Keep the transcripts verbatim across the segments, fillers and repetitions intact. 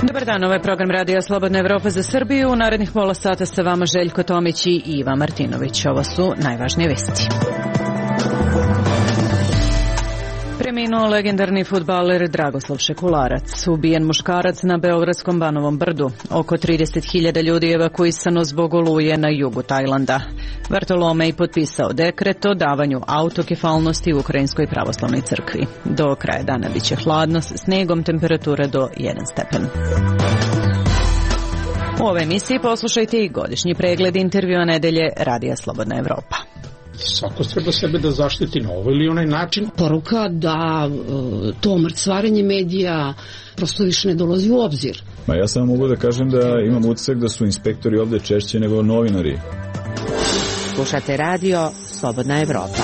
Dobar dan, ovo je program Radija Slobodna Evropa za Srbiju. U narednih pola sata sa vama Željko Tomić i Iva Martinović. Ovo su najvažnije vesti. Preminuo legendarni fudbaler Dragoslav Šekularac, ubijen muškarac na beogradskom Banovom brdu. Oko trideset hiljada ljudi evakuisano zbog oluje na jugu Tajlanda. Bartolomej potpisao dekret o davanju autokefalnosti u Ukrajinskoj pravoslavnoj crkvi. Do kraja dana biće hladno s snegom, temperatura do jedan stepen. U ovoj emisiji poslušajte i godišnji pregled intervjua nedelje Radija Slobodna Evropa. Svako treba sebe da zaštiti na ovaj ili onaj način. Poruka da to mrcvarenje medija prosto više ne dolazi u obzir. Ma ja samo mogu da kažem da imam utisak da su inspektori ovde češće nego novinari. Slušate radio Slobodna Evropa.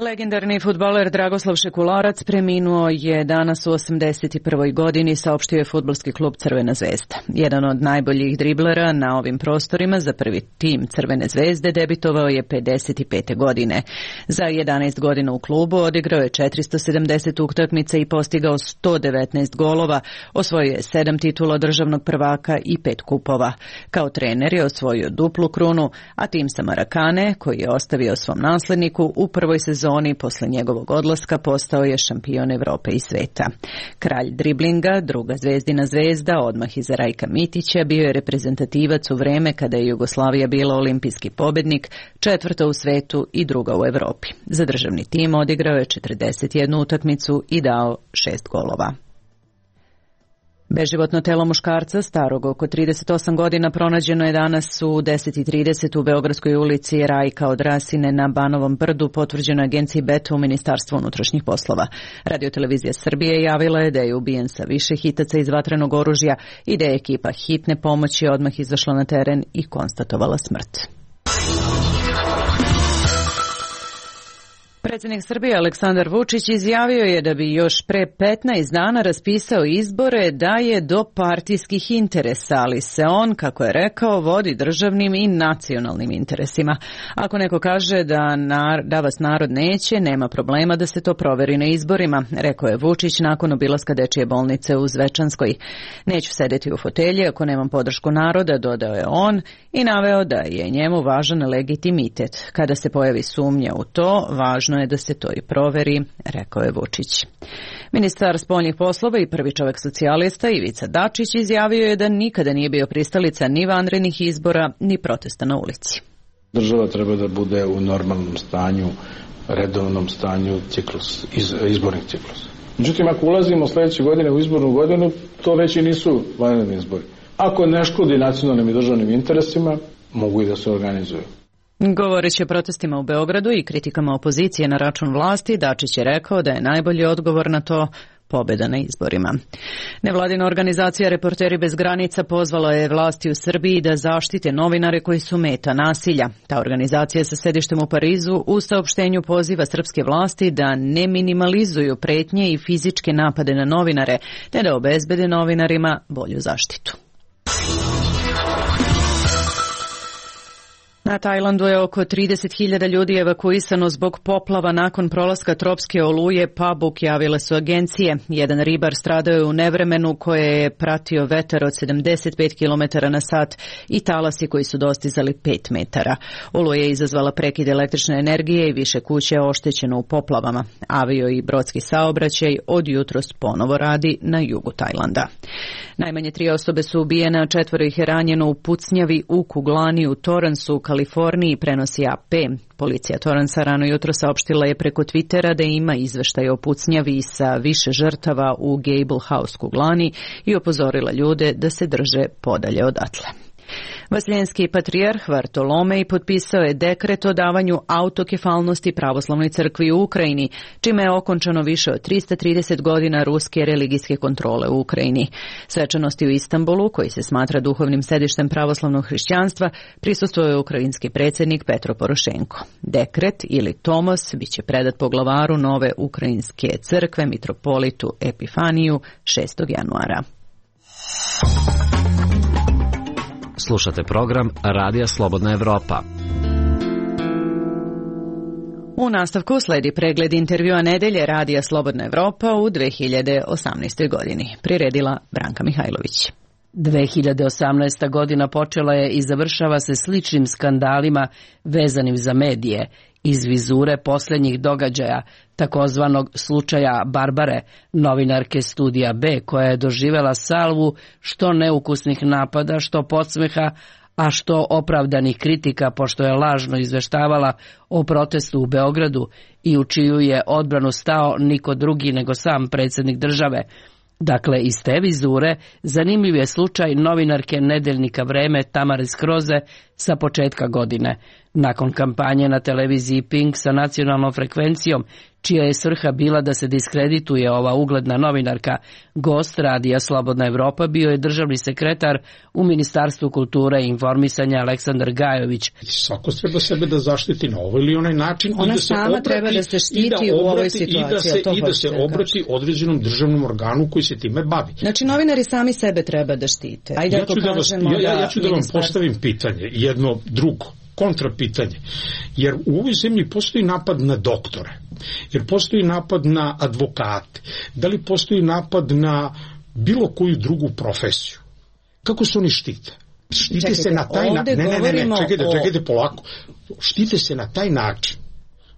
Legendarni fudbaler Dragoslav Šekularac preminuo je danas u osamdeset prvoj godini, saopštio je fudbalski klub Crvena zvezda. Jedan od najboljih driblera na ovim prostorima za prvi tim Crvene zvezde debitovao je pedeset pete godine. Za jedanaest godina u klubu odigrao je četiristo sedamdeset utakmica i postigao sto devetnaest golova, osvojio je sedam titula državnog prvaka i pet kupova. Kao trener je osvojio duplu krunu, a tim sa Marakane, koji je ostavio svom nasledniku, u prvoj sezoni posle njegovog odlaska postao je šampion Evrope i sveta. Kralj driblinga, druga zvezdina zvezda, odmah iza Rajka Mitića, bio je reprezentativac u vreme kada je Jugoslavija bila olimpijski pobednik, četvrta u svetu i druga u Evropi. Za državni tim odigrao je četrdeset jednu utakmicu i dao šest golova. Beživotno telo muškarca, starog oko trideset osam godina, pronađeno je danas u deset i trideset u Beogradskoj ulici Rajka od Rasine na Banovom brdu, potvrđeno agenciji Beta u Ministarstvu unutrašnjih poslova. Radio-televizija Srbije javila je da je ubijen sa više hitaca iz vatrenog oružja i da je ekipa hitne pomoći odmah izašla na teren i konstatovala smrt. Predsjednik Srbije Aleksandar Vučić izjavio je da bi još pre petnaest dana raspisao izbore da je do partijskih interesa, ali se on, kako je rekao, vodi državnim i nacionalnim interesima. Ako neko kaže da, nar, da vas narod neće, nema problema da se to proveri na izborima, rekao je Vučić nakon obilaska dečije bolnice u Zvečanskoj. Neću sedeti u fotelji ako nemam podršku naroda, dodao je on i naveo da je njemu važan legitimitet. Kada se pojavi sumnja u to, važno je da se to i proveri, rekao je Vučić. Ministar spoljnih poslova i prvi čovek socijalista Ivica Dačić izjavio je da nikada nije bio pristalica ni vanrednih izbora, ni protesta na ulici. Država treba da bude u normalnom stanju, redovnom stanju ciklus, iz, izbornih ciklusa. Međutim, ako ulazimo sledeće godine u izbornu godinu, to već i nisu vanredni izbori. Ako ne škodi nacionalnim i državnim interesima, mogu i da se organizuju. Govoreći o protestima u Beogradu i kritikama opozicije na račun vlasti, Dačić je rekao da je najbolji odgovor na to pobjeda na izborima. Nevladina organizacija Reporteri bez granica pozvala je vlasti u Srbiji da zaštite novinare koji su meta nasilja. Ta organizacija sa sedištem u Parizu u saopštenju poziva srpske vlasti da ne minimalizuju pretnje i fizičke napade na novinare, te da obezbede novinarima bolju zaštitu. Na Tajlandu je oko trideset hiljada ljudi evakuisano zbog poplava nakon prolaska tropske oluje Pabuk, javile su agencije. Jedan ribar stradao je u nevremenu koje je pratio vetar od sedamdeset pet kilometara na sat i talasi koji su dostizali pet metara. Oluja je izazvala prekid električne energije i više kuće je oštećeno u poplavama. Avio i brodski saobraćaj od jutros ponovo radi na jugu Tajlanda. Najmanje tri osobe su ubijene, a četvoro ih je ranjeno u pucnjavi u kuglani u Torransu u Kaliforniji, prenosi A P. Policija Torransa rano jutro saopštila je preko Twittera da ima izveštaj o pucnjavi sa više žrtava u Gable House kuglani i upozorila ljude da se drže podalje odatle. Vaseljenski patrijarh Bartolomej potpisao je dekret o davanju autokefalnosti pravoslavnoj crkvi u Ukrajini, čime je okončano više od trista trideset godina ruske religijske kontrole u Ukrajini. Svečanosti u Istanbulu, koji se smatra duhovnim sedištem pravoslavnog hrišćanstva, prisustvovao je ukrajinski predsjednik Petro Porošenko. Dekret ili tomos biće predat poglavaru nove ukrajinske crkve, mitropolitu Epifaniju, šestog januara. Slušate program Radija Slobodna Evropa. U nastavku sledi pregled intervjua nedelje Radija Slobodna Evropa u dve hiljade osamnaestoj godini. Priredila Branka Mihajlović. dve hiljade osamnaesta. godina počela je i završava se sličnim skandalima vezanim za medije iz vizure posljednjih događaja, takozvanog slučaja Barbare, novinarke Studija B, koja je doživela salvu što neukusnih napada, što podsmeha, a što opravdanih kritika, pošto je lažno izveštavala o protestu u Beogradu i u čiju je odbranu stao niko drugi nego sam predsjednik države. Dakle, iz te vizure zanimljiv je slučaj novinarke nedeljnika Vreme Tamare Skroze sa početka godine. Nakon kampanje na televiziji Pink sa nacionalnom frekvencijom, čija je svrha bila da se diskredituje ova ugledna novinarka, gost Radija Slobodna Evropa bio je državni sekretar u Ministarstvu kulture i informisanja Aleksandar Gajović. Svako treba sebe da zaštiti na ovaj ili onaj način. Ona i da sama se obrati, treba da se štiti da u ovoj obrati, situaciji. I da se, i da se obrati kažete. određenom državnom organu koji se time bavi. Znači, novinari sami sebe treba da štite. Ajde, ja ću da, vas, ja, ja, ja ću da vam postavim pitanje, jedno drugo, kontrapitanje. Jer u ovoj zemlji postoji napad na doktore, jer postoji napad na advokate, da li postoji napad na bilo koju drugu profesiju. Kako se oni štite? Štite čekajte, se na taj način. Ne, ne, ne, ne, čekajte, o... čekajte polako. Štite se na taj način.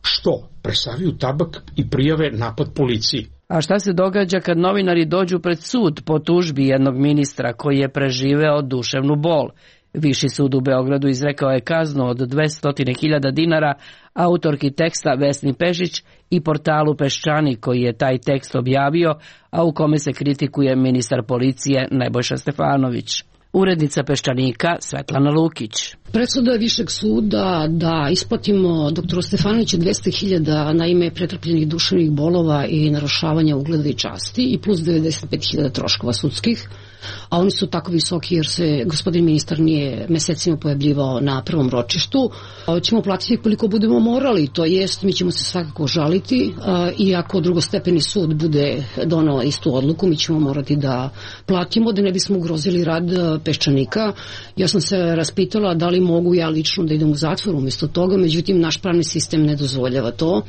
Što? Presaviju tabak i prijave napad policiji. A šta se događa kad novinari dođu pred sud po tužbi jednog ministra koji je preživeo duševnu bol? Viši sud u Beogradu izrekao je kaznu od dvesta hiljada dinara autorki teksta Vesni Pešić i portalu Peščanik koji je taj tekst objavio, a u kome se kritikuje ministar policije Nebojša Stefanović. Urednica Peščanika Svetlana Lukić. Presuda Višeg suda da isplatimo doktoru Stefanoviću dvesta hiljada na ime pretrpljenih duševnih bolova i narušavanja ugleda i časti i plus devedeset pet hiljada troškova sudskih, a oni su tako visoki jer se gospodin ministar nije mesecima pojavljivao na prvom ročištu. Ćemo platiti koliko budemo morali, to jest mi ćemo se svakako žaliti i ako drugostepeni sud bude donao istu odluku, mi ćemo morati da platimo da ne bismo ugrozili rad Peščanika. Ja sam se raspitala da li mogu ja lično da idem u zatvor umjesto toga, međutim naš pravni sistem ne dozvoljava to.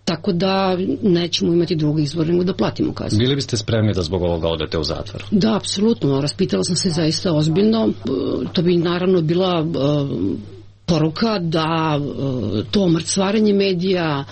Tako da nećemo imati drugi izbor nego da platimo kaznu. Bili biste spremni da zbog ovoga odete u zatvor? Da, apsolutno. Raspitala sam se zaista ozbiljno. To bi naravno bila uh, poruka da uh, to mrcvarenje medija,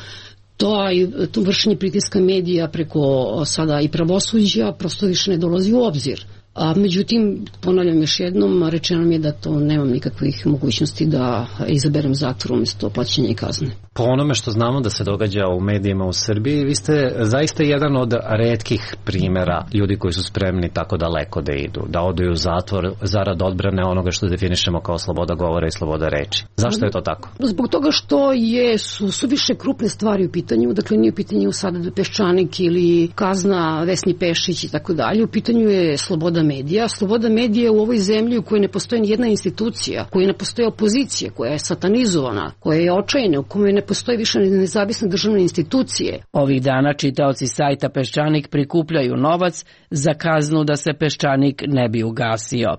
to, to vršenje pritiska medija preko sada i pravosuđa prosto više ne dolazi u obzir. A međutim, ponavljam još jednom, rečeno mi je da to nemam nikakvih mogućnosti da izaberem zatvor umjesto plaćanja i kazne. Po onome što znamo da se događa u medijima u Srbiji, vi ste zaista jedan od retkih primjera ljudi koji su spremni tako daleko da idu, da odu u zatvor zarad odbrane onoga što definišemo kao sloboda govora i sloboda reči. Zašto je to tako? Zbog toga što je, su, su više krupne stvari u pitanju, dakle nije u pitanju sada Peščanik ili kazna Vesni Pešić i tako dalje, u pitanju je sloboda medija. Sloboda medija u ovoj zemlji u kojoj ne postoji ni jedna institucija, u kojoj ne postoji opozicija, koja je satanizovana, koja je očajna, u kojoj ne postoji više nezavisne državne institucije. Ovih dana čitaoci sajta Peščanik prikupljaju novac za kaznu da se Peščanik ne bi ugasio.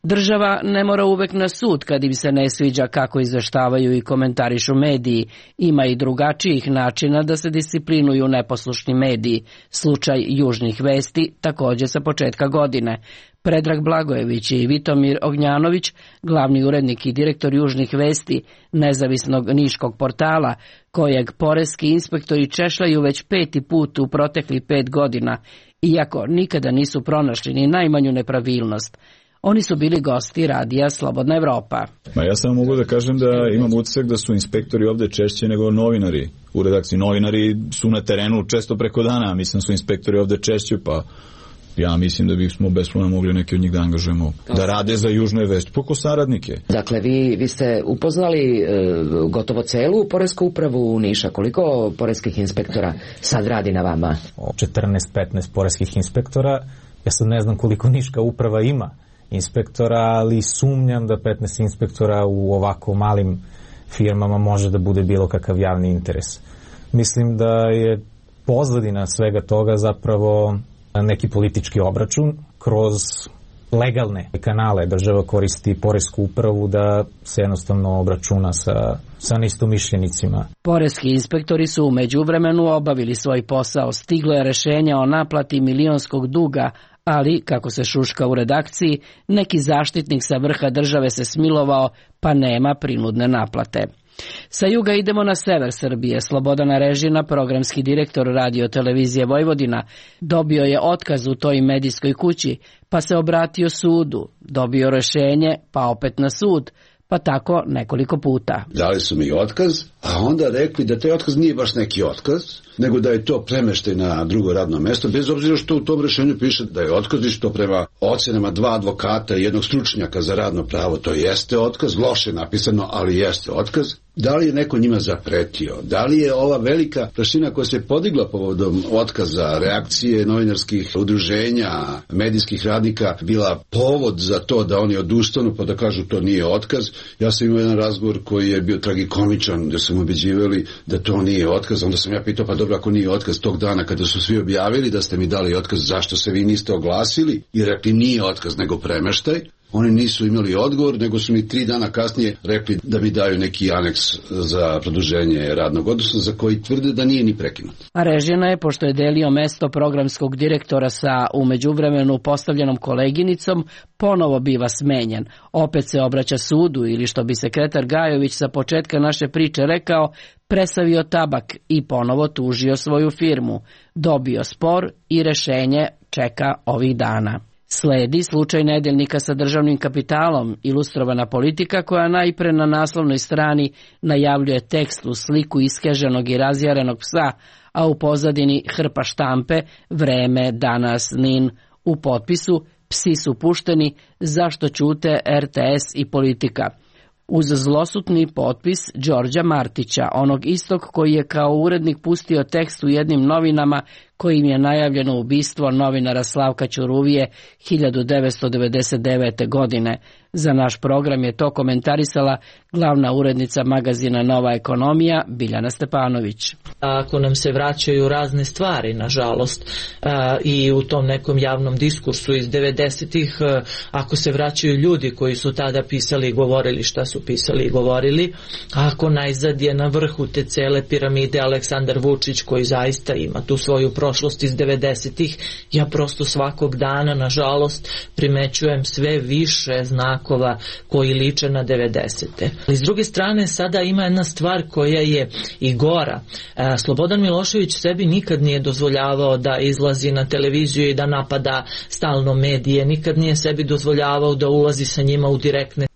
Država ne mora uvek na sud kad im se ne sviđa kako izveštavaju i komentarišu mediji. Ima i drugačijih načina da se disciplinuju neposlušni mediji. Slučaj Južnih vesti također sa početka godine. Predrag Blagojević i Vitomir Ognjanović, glavni urednik i direktor Južnih vesti, nezavisnog niškog portala, kojeg poreski inspektori češljaju već peti put u proteklih pet godina, iako nikada nisu pronašli ni najmanju nepravilnost. Oni su bili gosti Radija Slobodna Evropa. Ma ja samo mogu da kažem da imam utisak da su inspektori ovde češće nego novinari u redakciji. Novinari su na terenu često preko dana, mislim su inspektori ovde češće, pa ja mislim da bismo bez problema mogli neki od njih da angažujemo da rade za Južne vesti, poko saradnike. Dakle, vi, vi ste upoznali e, gotovo celu poresku upravu u Niša. Koliko poreskih inspektora sad radi na vama? četrnaest petnaest poreskih inspektora. Ja sad ne znam koliko Niška uprava ima inspektora, ali sumnjam da petnaest inspektora u ovako malim firmama može da bude bilo kakav javni interes. Mislim da je pozadina svega toga zapravo neki politički obračun kroz legalne kanale. Država koristi poresku upravu da se jednostavno obračuna sa, sa neistomišljenicima. Poreski inspektori su u međuvremenu obavili svoj posao. Stiglo je rešenje o naplati milionskog duga, ali, kako se šuška u redakciji, neki zaštitnik sa vrha države se smilovao, pa nema prinudne naplate. Sa juga idemo na sever Srbije. Slobodan Arežina, programski direktor Radio televizije Vojvodina, dobio je otkaz u toj medijskoj kući, pa se obratio sudu, dobio rešenje, pa opet na sud, pa tako nekoliko puta. Dali su mi otkaz, a onda rekli da taj otkaz nije baš neki otkaz, nego da je to premeštaj na drugo radno mesto, bez obzira što u tom rešenju piše da je otkaz i što prema ocenama dva advokata i jednog stručnjaka za radno pravo to jeste otkaz, loše napisano, ali jeste otkaz. Da li je neko njima zapretio? Da li je ova velika prašina koja se podigla povodom otkaza, reakcije novinarskih udruženja, medijskih radnika bila povod za to da oni odustanu pa da kažu to nije otkaz? Ja sam imao jedan razgovor koji je bio tragikomičan, gde su mu ubeđivali da to nije otkaz. Onda sam ja pitao, pa dobro, ako nije otkaz tog dana kada su svi objavili da ste mi dali otkaz, zašto se vi niste oglasili i rekli nije otkaz nego premeštaj? Oni nisu imali odgovor, nego su mi tri dana kasnije rekli da mi daju neki aneks za produženje radnog odnosa, za koji tvrde da nije ni prekinut. Arežina je, pošto je delio mesto programskog direktora sa u međuvremenu postavljenom koleginicom, ponovo biva smenjen. Opet se obraća sudu ili, što bi sekretar Gajović sa početka naše priče rekao, presavio tabak i ponovo tužio svoju firmu. Dobio spor i rešenje čeka ovih dana. Sledi slučaj nedeljnika sa državnim kapitalom, ilustrovana politika koja najpre na naslovnoj strani najavljuje tekst u sliku iskeženog i razjarenog psa, a u pozadini hrpa štampe, Vreme, Danas, Nin, u potpisu psi su pušteni, zašto ćute er te es i Politika. Uz zlosutni potpis Đorđa Martića, onog istog koji je kao urednik pustio tekst u jednim novinama kojim je najavljeno ubistvo novinara Slavka Ćuruvije hiljadu devetsto devedeset devete. godine. Za naš program je to komentarisala glavna urednica magazina Nova ekonomija Biljana Stepanović. Ako nam se vraćaju razne stvari, nažalost, i u tom nekom javnom diskursu iz devedesetih, ako se vraćaju ljudi koji su tada pisali i govorili šta su pisali i govorili, ako najzad je na vrhu te cele piramide Aleksandar Vučić, koji zaista ima tu svoju prošlost iz devedesetih, ja prosto svakog dana, nažalost, primećujem sve više znakova koji liče na devedesete. S druge strane, sada ima jedna stvar koja je i gora. Slobodan Milošević sebi nikad nije dozvoljavao da izlazi na televiziju i da napada stalno medije, nikad nije sebi dozvoljavao da ulazi sa njima u direktne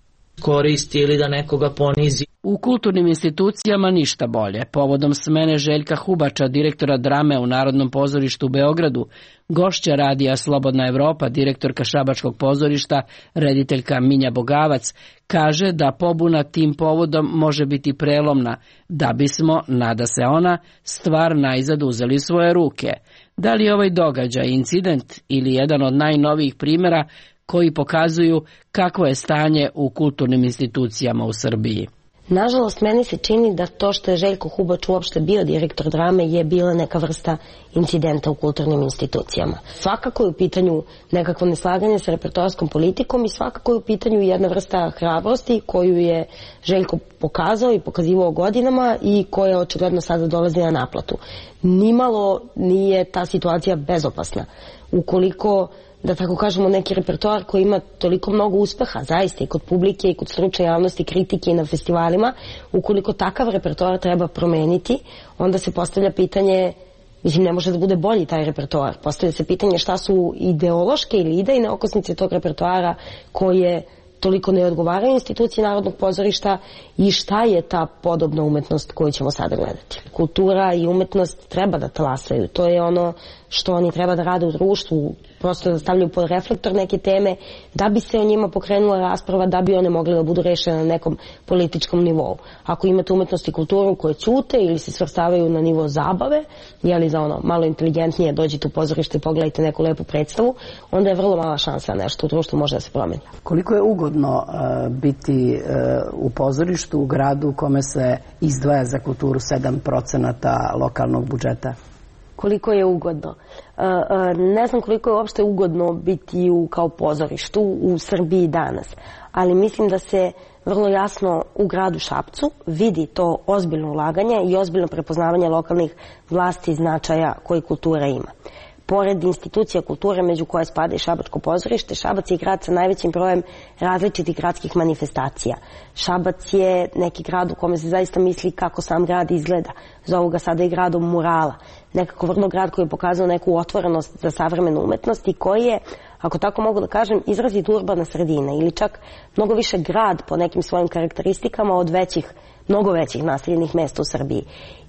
koristi ili da nekoga ponizi. U kulturnim institucijama ništa bolje. Povodom smene Željka Hubača, direktora drame u Narodnom pozorištu u Beogradu, gošća radija Slobodna Evropa, direktorka Šabačkog pozorišta, rediteljka Minja Bogavac, kaže da pobuna tim povodom može biti prelomna, da bismo, nada se ona, stvar najzad uzeli svoje ruke. Da li je ovaj događaj incident ili jedan od najnovijih primjera koji pokazuju kakvo je stanje u kulturnim institucijama u Srbiji? Nažalost, meni se čini da to što je Željko Hubač uopšte bio direktor drame je bila neka vrsta incidenta u kulturnim institucijama. Svakako je u pitanju nekakvo neslaganje sa repertoarskom politikom i svakako je u pitanju jedna vrsta hrabrosti koju je Željko pokazao i pokazivao godinama i koja očigledno sada dolazi na naplatu. Nimalo nije ta situacija bezopasna. Ukoliko, da tako kažemo, neki repertoar koji ima toliko mnogo uspeha, zaista i kod publike i kod stručne javnosti, kritike i na festivalima, ukoliko takav repertoar treba promeniti, onda se postavlja pitanje, mislim, ne može da bude bolji taj repertoar. Postavlja se pitanje šta su ideološke ili idejne okosnice tog repertoara koje toliko ne odgovaraju instituciji Narodnog pozorišta i šta je ta podobna umetnost koju ćemo sada gledati. Kultura i umetnost treba da talasaju. To je ono što oni treba da rade u društvu, prosto da stavljaju pod reflektor neke teme, da bi se o njima pokrenula rasprava, da bi one mogle da budu rešene na nekom političkom nivou. Ako imate umetnost i kulturu koje ćute ili se svrstavaju na nivo zabave, jeli za ono malo inteligentnije, dođite u pozorište i pogledajte neku lepu predstavu, onda je vrlo mala šansa nešto u društvu može da se promeni. Koliko je ugodno uh, biti uh, u pozorištu u gradu u kome se izdvaja za kulturu sedam procenata lokalnog budžeta? koliko je ugodno. Ne znam koliko je uopšte ugodno biti u, kao pozorištu u Srbiji danas, ali mislim da se vrlo jasno u gradu Šapcu vidi to ozbiljno ulaganje i ozbiljno prepoznavanje lokalnih vlasti i značaja koji kultura ima. Pored institucija kulture, među koje spada i Šabačko pozorište, Šabac je grad sa najvećim brojem različitih gradskih manifestacija. Šabac je neki grad u kome se zaista misli kako sam grad izgleda. Zovu ga sada i gradom murala. Nekako vrlo grad koji je pokazao neku otvorenost za savremenu umetnost i koji je, ako tako mogu da kažem, izrazit urbana sredina ili čak mnogo više grad po nekim svojim karakteristikama od većih, mnogo većih naseljenih mesta u Srbiji.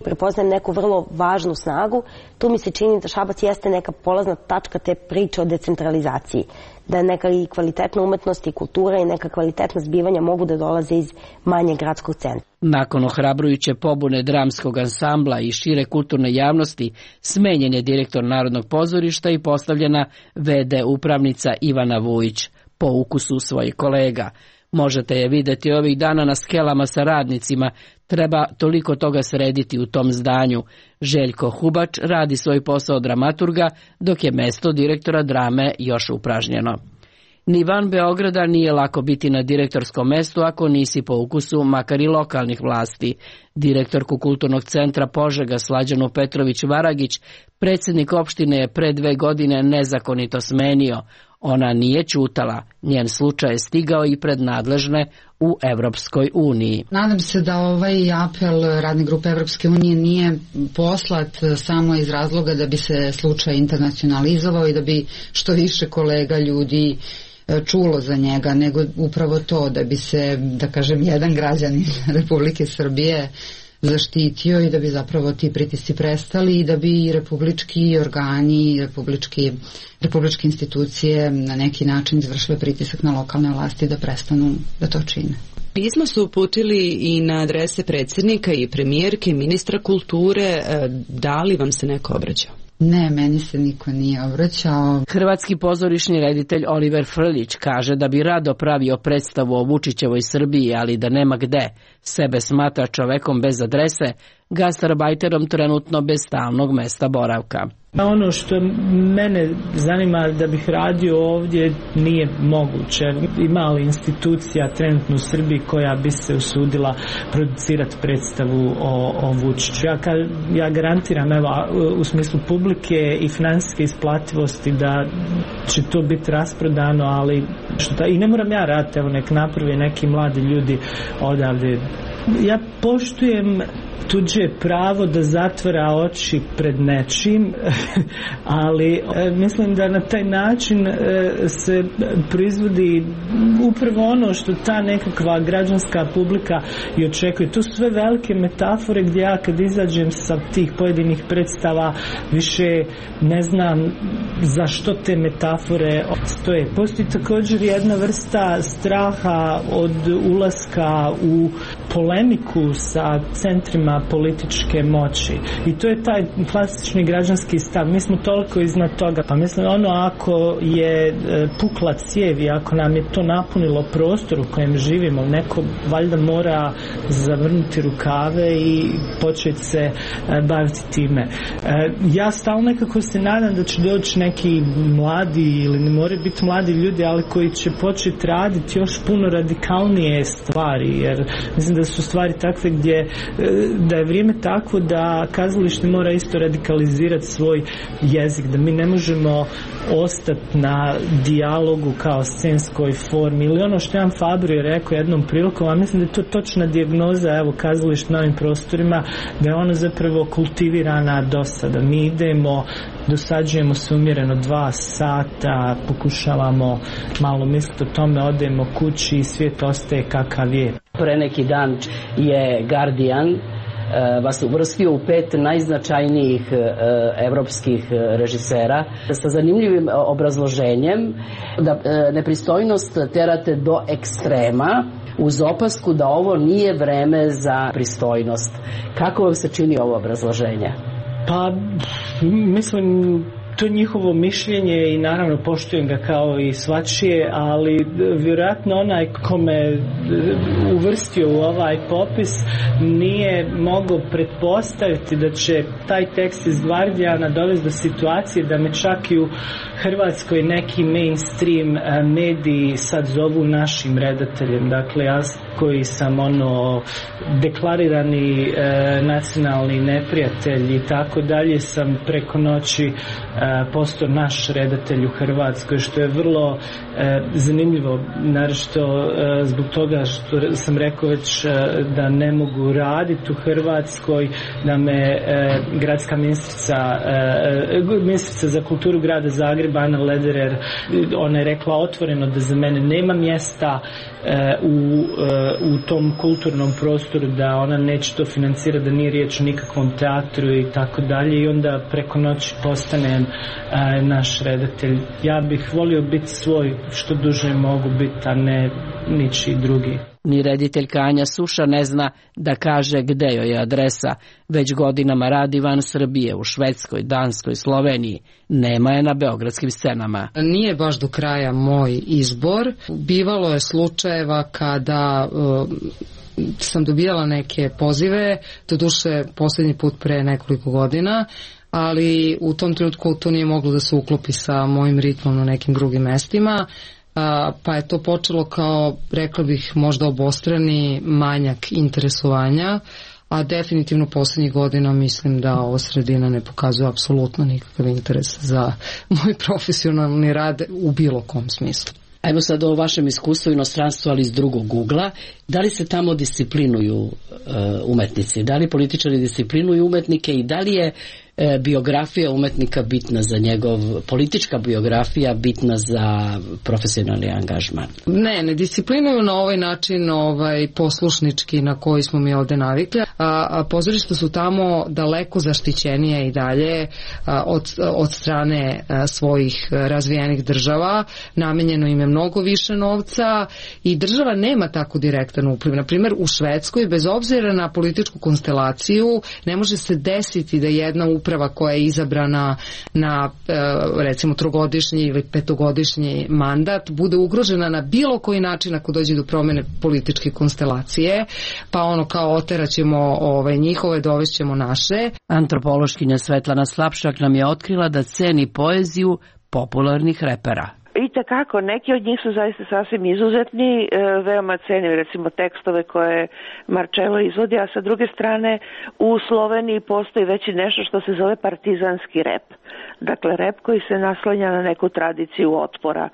Prepoznajem neku vrlo važnu snagu. Tu mi se čini da Šabac jeste neka polazna tačka te priče o decentralizaciji. Da neka i kvalitetna umetnost i kultura i neka kvalitetna zbivanja mogu da dolaze iz manjeg gradskog centra. Nakon ohrabrujuće pobune dramskog ansambla i šire kulturne javnosti, smenjen je direktor Narodnog pozorišta i postavljena ve de upravnica Ivana Vujić, po ukusu svojih kolega. Možete je videti ovih dana na skelama sa radnicima, treba toliko toga srediti u tom zdanju. Željko Hubač radi svoj posao dramaturga, dok je mesto direktora drame još upražnjeno. Ni van Beograda nije lako biti na direktorskom mestu ako nisi po ukusu makar i lokalnih vlasti. Direktorku Kulturnog centra Požega Slađanu Petrović-Varagić predsjednik opštine je pre dve godine nezakonito smenio. Ona nije ćutala, njen slučaj je stigao i pred nadležne u Evropskoj uniji. Nadam se da ovaj apel radne grupe Evropske unije nije poslat samo iz razloga da bi se slučaj internacionalizovao i da bi što više kolega ljudi čulo za njega, nego upravo to da bi se, da kažem, jedan građanin Republike Srbije zaštitio i da bi zapravo ti pritisci prestali i da bi republički organi, republički, republičke institucije na neki način izvršile pritisak na lokalne vlasti da prestanu da to čine. Pismo su uputili i na adrese predsjednika i premijerke, ministra kulture. Da li vam se neko obraćao? Ne, meni se niko nije obraćao. Hrvatski pozorišni reditelj Oliver Frljić kaže da bi rado pravio predstavu o Vučićevoj Srbiji, ali da nema gde. Sebe smatra čovekom bez adrese, gastarbajterom trenutno bez stalnog mesta boravka. Ono što mene zanima da bih radio ovdje nije moguće. Ima li institucija trenutno u Srbiji koja bi se usudila producirati predstavu o, o Vučiću? Ja, ja garantiram, evo, u smislu publike i financijske isplativosti da će to biti rasprodano, ali što ta, i ne moram ja raditi, evo nek napravi neki mladi ljudi odavde. Ja poštujem tuđe pravo da zatvara oči pred nečim, ali e, mislim da na taj način e, se proizvodi upravo ono što ta nekakva građanska publika i očekuje. To su sve velike metafore gdje ja kad izađem sa tih pojedinih predstava više ne znam za što te metafore stoje. Postoji također jedna vrsta straha od ulaska u polemiku sa centrima političke moći. I to je taj klasični građanski stav. Mi smo toliko iznad toga. Pa mislim, ono ako je pukla cijev i ako nam je to napunilo prostor u kojem živimo, neko valjda mora zavrnuti rukave i početi se baviti time. Ja stalno nekako se nadam da će doći neki mladi ili ne moraju biti mladi ljudi, ali koji će početi raditi još puno radikalnije stvari, jer mislim da su stvari takve gdje da je vrijeme takvo da kazalište mora isto radikalizirati svoj jezik, da mi ne možemo ostati na dijalogu kao scenskoj formi ili ono što Jan Fabro je rekao jednom prilikom, a mislim da je to točna dijagnoza evo kazalište na ovim prostorima, da je ono zapravo kultivirana dosada. Mi idemo, dosađujemo se umjereno dva sata, pokušavamo malo misliti o tome, odemo kući i svijet ostaje kakav je. Pre neki dan je Guardian vas uvrstio u pet najznačajnijih evropskih režisera sa zanimljivim obrazloženjem da nepristojnost terate do ekstrema uz opasku da ovo nije vreme za pristojnost. Kako vam se čini ovo obrazloženje? Pa, mislim, to njihovo mišljenje i naravno poštujem ga kao i svačije, ali vjerojatno onaj ko me uvrstio u ovaj popis nije mogao pretpostaviti da će taj tekst iz Guardiana dovesti do situacije da me čak i u Hrvatskoj neki mainstream mediji sad zovu našim redateljem. Dakle, ja koji sam ono deklarirani e, nacionalni neprijatelj i tako dalje, sam preko noći e, postao naš redatelj u Hrvatskoj, što je vrlo e, zanimljivo, naročito e, zbog toga što sam rekao već e, da ne mogu raditi u Hrvatskoj, da me e, gradska ministrica e, ministrica za kulturu grada Zagreba Ana Lederer, ona je rekla otvoreno da za mene nema mjesta e, u, e, u tom kulturnom prostoru, da ona neće to financirati, da nije riječ o nikakvom teatru i tako dalje, i onda preko noći postanem e, naš redatelj. Ja bih volio biti svoj što duže mogu biti, a ne ničiji drugi. Ni rediteljka Anja Suša ne zna da kaže gde joj je adresa. Već godinama radi van Srbije, u Švedskoj, Danskoj, Sloveniji. Nema je na beogradskim scenama. Nije baš do kraja moj izbor. Bivalo je slučajeva kada uh, sam dobijala neke pozive, doduše posljednji put pre nekoliko godina, ali u tom trenutku to nije moglo da se uklopi sa mojim ritmom na nekim drugim mestima. Pa je to počelo kao, rekla bih, možda obostrani manjak interesovanja, a definitivno posljednjih godina mislim da ova sredina ne pokazuje apsolutno nikakav interes za moj profesionalni rad u bilo kom smislu. Evo sad o vašem iskustvu inostranstvu, ali iz drugog ugla. Da li se tamo disciplinuju uh, umetnici? Da li političari disciplinuju umetnike i da li je e, biografija umetnika bitna za njegov, politička biografija bitna za profesionalni angažman? Ne, ne disciplinuju na ovaj način ovaj, poslušnički na koji smo mi ovde navikli. A, a pozorišta su tamo daleko zaštićenije i dalje a, od, od strane a, svojih razvijenih država. Namenjeno im je mnogo više novca i država nema tako direktan upliv. Na primjer, u Švedskoj, bez obzira na političku konstelaciju, ne može se desiti da jedna uprava koja je izabrana na recimo trogodišnji ili petogodišnji mandat bude ugrožena na bilo koji način ako dođe do promjene političke konstelacije, pa ono kao oteraćemo ove njihove, dovešćemo naše. Antropološkinja Svetlana Slapšak nam je otkrila da ceni poeziju popularnih repera. I takako, neki od njih su zaista sasvim izuzetni, e, veoma cenim recimo tekstove koje Marcello izvodi, a sa druge strane u Sloveniji postoji već i nešto što se zove partizanski rep. Dakle, rep koji se naslanja na neku tradiciju otpora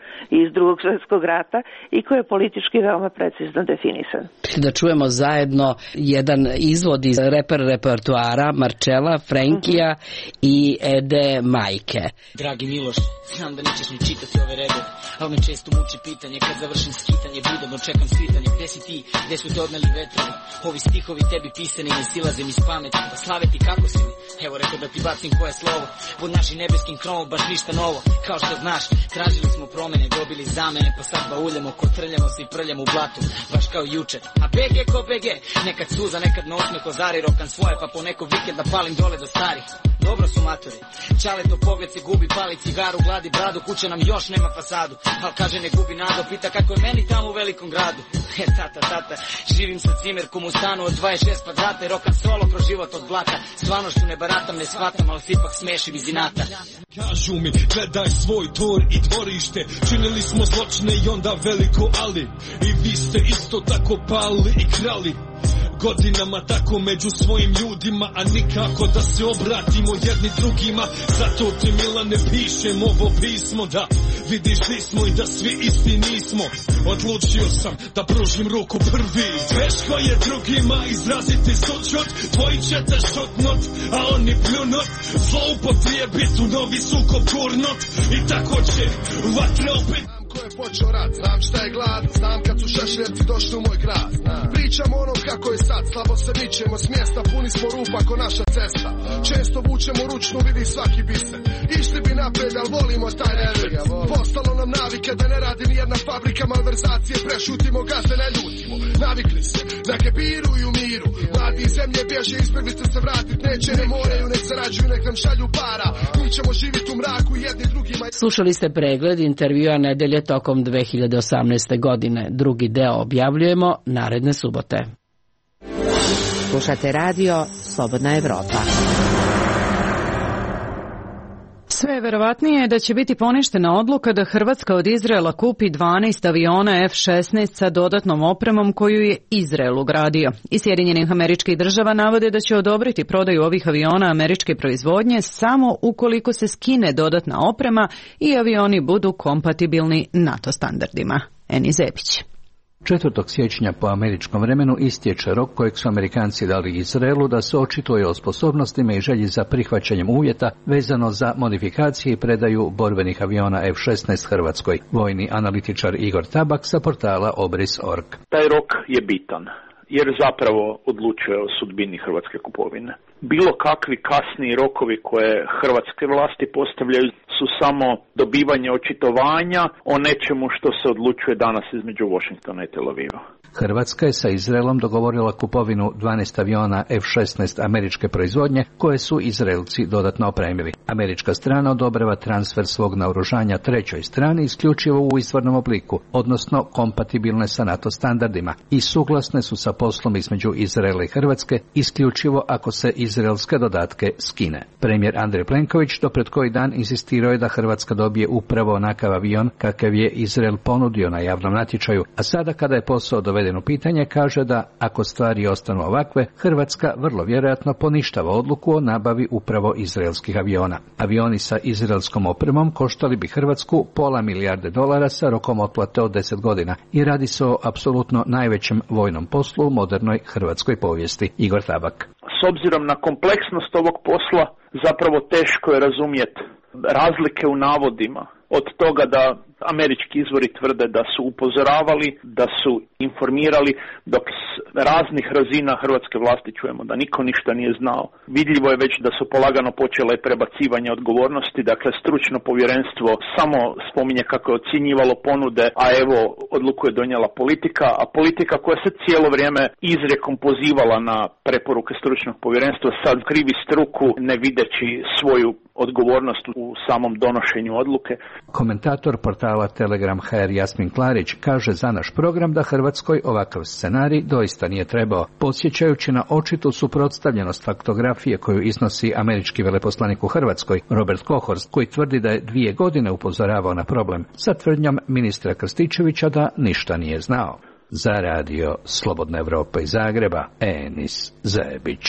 iz Drugog svjetskog rata i koji je politički veoma precizno definisan. Da čujemo zajedno jedan izvod iz reper repertoara Marcella, Frenkija mm-hmm. i Ede Majke. Dragi Miloš, znam da nećeš mi čitati ove redove, ali me često muči pitanje kad završim skitanje, budobno čekam svitanje, gde si ti, gde su te odneli vetrovi, ovi stihovi tebi pisani ne silaze mi s pameti, pa slave ti kako si mi, evo rekao da ti bacim koje slovo, pod našim nebeskim kromom baš ništa novo, kao što znaš, tražili smo promene, dobili zamene, pa sad bauljamo, kotrljamo se i prljamo u blatu, baš kao juče, a B G ko B G, nekad suza, nekad na osme kozari, rokam svoje, pa po neko vikend da palim dole do starih. Dobro su matori, čaleto pogled se gubi, pali cigaru, gladi bradu, kuća nam još nema fasadu, al kaže ne gubi nado, pita kako je meni tamo u velikom gradu. E tata, tata, živim sa cimerkom u stanu od dvadeset šest kvadrata i rokam solo kroz život od blata, stvarnošću ne baratam, ne shvatam, ali se ipak smešim iz inata. Kažu mi, gledaj svoj dvor i dvorište, činili smo zločine i onda veliko ali, i vi ste isto tako pali i krali. Godinama tako među svojim ljudima, a nikako da se obratimo jedni drugima. Zato ti Milane pišem ovo pismo, da vidiš di smo i da svi isti nismo. Odlučio sam da pružim ruku prvi, teško je drugima izraziti sućut, tvoji ćete šutnut, a oni pljunut, zloupotrijebit u novi sukob gurnut, i tako će vatra opet. Ko je počeo rat, znam šta je glad, znam kad su šešljevci došli u moj grad. Pričamo onom kako je sad, slabo se mičemo s mjesta, puni smo rupa ko naša cesta. Često vučemo ručnu, vidi svaki biser. Išli bi napred, al volimo taj revir. Postalo nam navika nikada ne radi ni jedna fabrika malverzacije, prešutimo, gazde ne ljutimo, navikli se, neke biruju miru, mladi iz zemlje bježe, izbjeglice se vratit neće, ne moraju, nek zarađuju, nek nam šalju para, mi ćemo živjeti u mraku jedni drugima. Slušali ste pregled intervjua nedelje tokom dve hiljade osamnaeste. godine. Drugi deo objavljujemo naredne subote. Slušate radio Slobodna Evropa. Sve je verovatnije da će biti poništena odluka da Hrvatska od Izraela kupi dvanaest aviona F šesnaest sa dodatnom opremom koju je Izrael ugradio. Iz Sjedinjenih Američkih Država navode da će odobriti prodaju ovih aviona američke proizvodnje samo ukoliko se skine dodatna oprema i avioni budu kompatibilni NATO standardima. Eni Zebić. četvrtog siječnja po američkom vremenu istječe rok kojeg su Amerikanci dali Izraelu da se očituje o sposobnostima i želji za prihvaćanjem uvjeta vezano za modifikacije i predaju borbenih aviona F šesnaest Hrvatskoj. Vojni analitičar Igor Tabak sa portala Obris точка org. Taj rok je bitan, jer zapravo odlučuje o sudbini hrvatske kupovine. Bilo kakvi kasniji rokovi koje hrvatske vlasti postavljaju su samo dobivanje očitovanja o nečemu što se odlučuje danas između Washingtona i Tel Aviva. Hrvatska je sa Izraelom dogovorila kupovinu dvanaest aviona F šesnaest američke proizvodnje koje su Izraelci dodatno opremili. Američka strana odobrava transfer svog naoružanja trećoj strani isključivo u izvornom obliku, odnosno kompatibilne sa NATO standardima, i suglasne su sa poslom između Izraela i Hrvatske isključivo ako se izraelske dodatke skine. Premijer Andrej Plenković do pred koji dan insistirao je da Hrvatska dobije upravo onakav avion kakav je Izrael ponudio na javnom natječaju, a sada kada je posao doveden u pitanje kaže da ako stvari ostanu ovakve, Hrvatska vrlo vjerojatno poništava odluku o nabavi upravo izraelskih aviona. Avioni sa izraelskom opremom koštali bi Hrvatsku pola milijarde dolara sa rokom otplate od deset godina i radi se o apsolutno najvećem vojnom poslu u modernoj hrvatskoj povijesti. Igor Tabak. S obzirom na kompleksnost ovog posla, zapravo teško je razumjeti razlike u navodima. Od toga da američki izvori tvrde da su upozoravali, da su informirali, dok s raznih razina hrvatske vlasti čujemo da niko ništa nije znao. Vidljivo je već da su polagano počele prebacivanje odgovornosti, dakle stručno povjerenstvo samo spominje kako je ocjenjivalo ponude, a evo odluku je donijela politika, a politika koja se cijelo vrijeme izrijekom pozivala na preporuke stručnog povjerenstva sad krivi struku ne videći svoju odgovornost u samom donošenju odluke. Komentator portala Telegram H R Jasmin Klarić kaže za naš program da Hrvatskoj ovakav scenarij doista nije trebao, podsjećajući na očitu suprotstavljenost faktografije koju iznosi američki veleposlanik u Hrvatskoj Robert Kohorst, koji tvrdi da je dvije godine upozoravao na problem, sa tvrdnjom ministra Krstičevića da ništa nije znao. Za radio Slobodna Evropa iz Zagreba, Enis Zebić.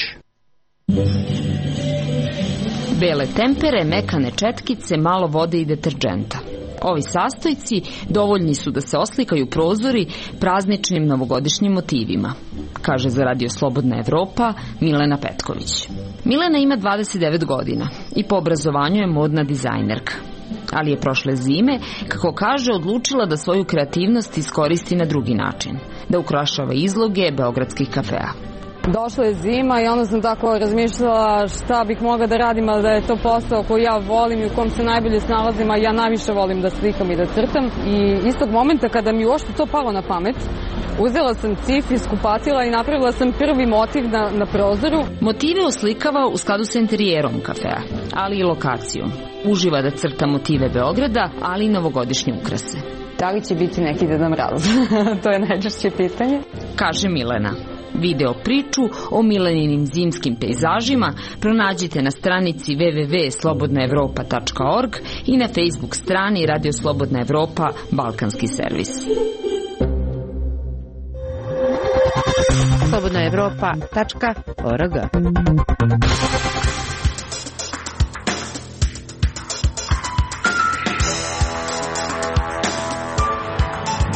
Bele tempere, mekane četkice, malo vode i deterdženta. Ovi sastojci dovoljni su da se oslikaju prozori prazničnim novogodišnjim motivima, kaže za radio Slobodna Evropa Milena Petković. Milena ima dvadeset devet godina i po obrazovanju je modna dizajnerka, ali je prošle zime, kako kaže, odlučila da svoju kreativnost iskoristi na drugi način, da ukrašava izloge beogradskih kafea. Došla je zima i onda sam tako razmišljala šta bih mogla da radim, ali da je to posao koji ja volim i u kom se najbolje snalazim, a ja najviše volim da slikam i da crtam. I istog momenta kada mi uopšte to palo na pamet, uzela sam cif iz kupatila i napravila sam prvi motiv na, na prozoru. Motive oslikava u skladu sa interijerom kafea, ali i lokacijom. Uživa da crta motive Beograda, ali i novogodišnje ukrase. Da li će biti neki Deda Mraz? To je najčešće pitanje. Kaže Milena. Video priču o Mileninim zimskim pejzažima pronađite na stranici w w w tačka slobodna evropa tačka org i na Facebook strani Radio Slobodna Evropa Balkanski servis. slobodna evropa tačka org.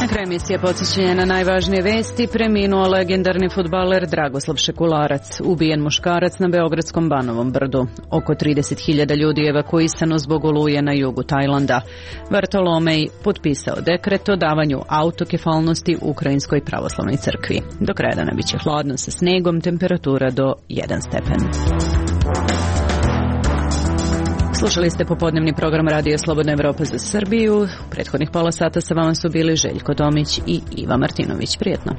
Na kraju emisije podsjećanja na najvažnije vesti, preminuo legendarni fudbaler Dragoslav Šekularac, ubijen muškarac na beogradskom Banovom brdu. Oko trideset hiljada ljudi je evakuisano zbog oluje na jugu Tajlanda. Vartolomej potpisao dekret o davanju autokefalnosti Ukrajinskoj pravoslavnoj crkvi. Do kraja dana biće hladno sa snegom, temperatura do jedan stepen. Slušali ste popodnevni program Radio Slobodna Evropa za Srbiju. U prethodnih pola sata sa vama su bili Željko Tomić i Iva Martinović. Prijetno.